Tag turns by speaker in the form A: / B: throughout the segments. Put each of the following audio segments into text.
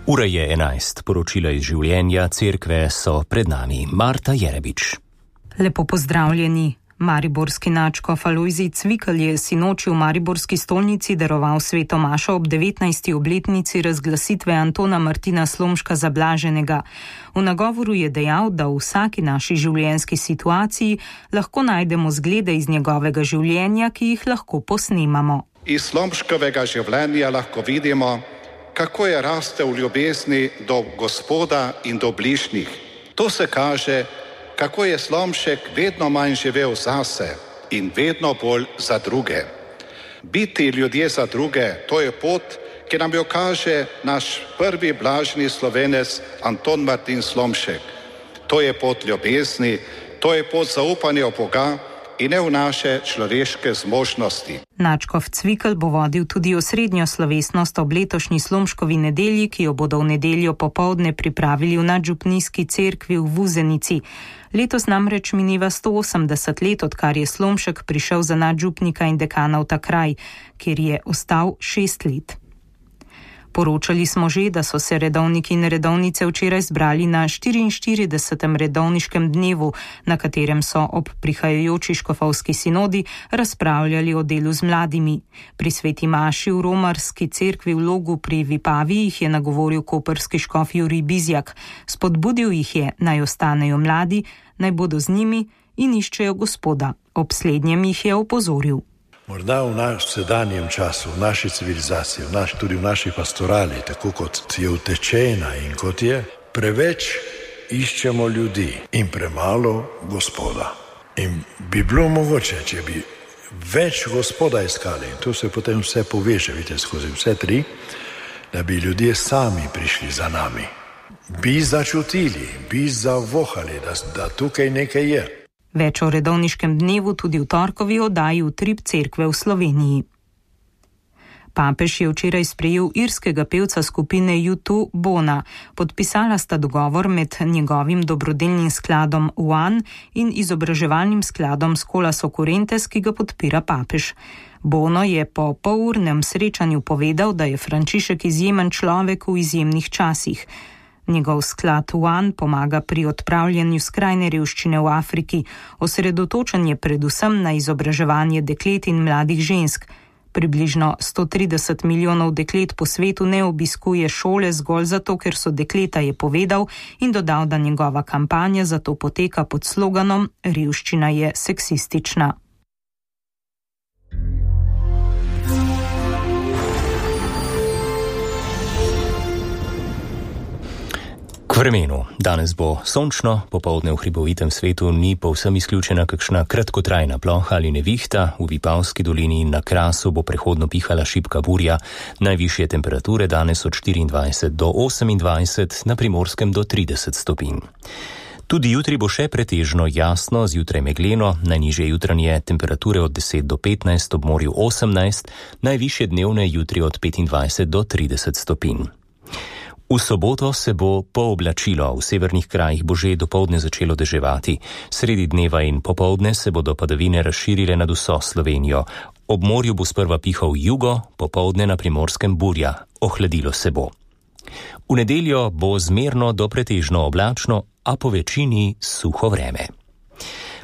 A: Ura je 11, poročila iz življenja cerkve so pred nami. Marta Jerebič.
B: Lepo pozdravljeni. Mariborski nadškof Alojzij Cvikl je sinoči v mariborski stolnici daroval sveto mašo ob 19. obletnici razglasitve Antona Martina Slomška za blaženega. V nagovoru je dejal, da v vsaki naši življenjski situaciji lahko najdemo zglede iz njegovega življenja, ki jih lahko posnemamo.
C: Iz Slomškovega življenja lahko vidimo, kako je rastel v ljubezni do Gospoda in do bližnjih. To se kaže, kako je Slomšek vedno manj živel zase in vedno bolj za druge. Biti ljudje za druge, to je pot, ki nam jo kaže naš prvi blaženi Slovenec Anton Martin Slomšek. To je pot ljubezni, to je pot zaupanja v Boga in ne v naše človeške zmožnosti.
B: Nadškof Cvikl bo vodil tudi osrednjo slovesnost ob letošnji Slomškovi nedelji, ki jo bodo v nedeljo popoldne pripravili v nadžupnijski cerkvi v Vuzenici. Letos namreč mineva 180 let, odkar je Slomšek prišel za nadžupnika in dekana v ta kraj, kjer je ostal 6 let. Poročali smo že, da so se redovniki in redovnice včeraj zbrali na 44. redovniškem dnevu, na katerem so ob prihajajoči škofovski sinodi razpravljali o delu z mladimi. Pri sveti maši v romarski cerkvi v Logu pri Vipavi jih je nagovoril koprski škof Jurij Bizjak. Spodbudil jih je, naj ostanejo mladi, naj bodo z njimi in iščejo Gospoda. Ob slednjem jih je opozoril.
D: Morda v sedanjem času, v naši civilizaciji, tudi v naši pastorali, tako kot je utečena in kot je, preveč iščemo ljudi in premalo Gospoda. In bi bilo mogoče, če bi več Gospoda iskali, in to se potem vse poveže, vidite, skozi vse tri, da bi ljudje sami prišli za nami. Bi začutili, bi zavohali, da tukaj nekaj je.
B: Več o redovniškem dnevu tudi v torkovi oddaji Utrip cerkve v Sloveniji. Papež je včeraj sprejel irskega pevca skupine U2 Bona. Podpisala sta dogovor med njegovim dobrodelnim skladom One in izobraževalnim skladom Scholas Occurrentes, ki ga podpira papež. Bono je po polurnem srečanju povedal, da je Frančišek izjemen človek v izjemnih časih. Njegov sklad One pomaga pri odpravljanju skrajne revščine v Afriki, osredotočen je predvsem na izobraževanje deklet in mladih žensk. Približno 130 milijonov deklet po svetu ne obiskuje šole zgolj zato, ker so dekleta, je povedal in dodal, da njegova kampanja zato poteka pod sloganom Revščina je seksistična.
A: K vremenu. Danes bo sončno, popoldne v hribovitem svetu ni povsem izključena kakšna kratkotrajna ploha ali nevihta, v Vipavski dolini in na Krasu bo prehodno pihala šibka burja, najvišje temperature danes od 24 do 28, na Primorskem do 30 stopinj. Tudi jutri bo še pretežno jasno, zjutraj megleno, najnižje jutranje temperature od 10 do 15, ob morju 18, najvišje dnevne jutri od 25 do 30 stopinj. V soboto se bo pooblačilo, v severnih krajih bo že dopoldne začelo deževati. Sredi dneva in popoldne se bodo padavine razširile nad vso Slovenijo. Ob morju bo sprva pihal jugo, popoldne na Primorskem burja, ohladilo se bo. V nedeljo bo zmerno do pretežno oblačno, a po večini suho vreme.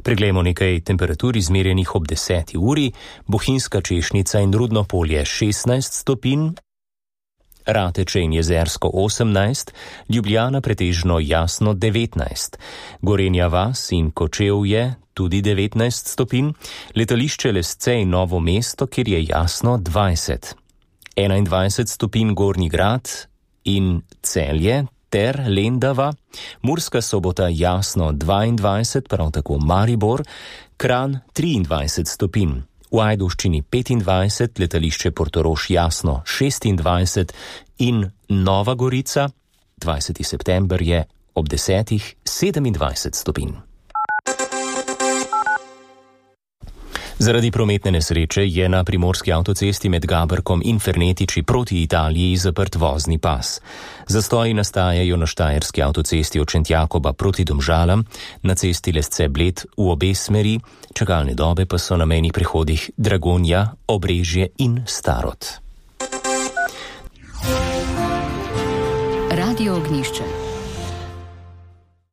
A: Preglejmo nekaj temperatur izmerjenih ob 10. uri, Bohinjska Češnica in Rudno polje 16 stopinj, Rateče in Jezersko 18, Ljubljana pretežno jasno 19, Gorenja vas in Kočevje tudi 19 stopinj, letališče Lesce in Novo mesto, kjer je jasno 20, 21 stopinj Gornji Grad in Celje ter Lendava, Murska Sobota jasno 22, prav tako Maribor, Kranj 23 stopinj. V Ajdovščini 25, letališče Portorož jasno 26 in Nova Gorica, 20. september je ob 10. 27 stopinj. Zaradi prometne nesreče je na primorski avtocesti med Gaberkom in Fernetiči proti Italiji zaprt vozni pas. Zastoji nastajajo na štajerski avtocesti od Šentjakoba proti Domžalam, na cesti Lesce-Bled v obe smeri, čakalne dobe pa so na mejnih prehodih Dragonja, Obrežje in Starod.
E: Radio Ognišče.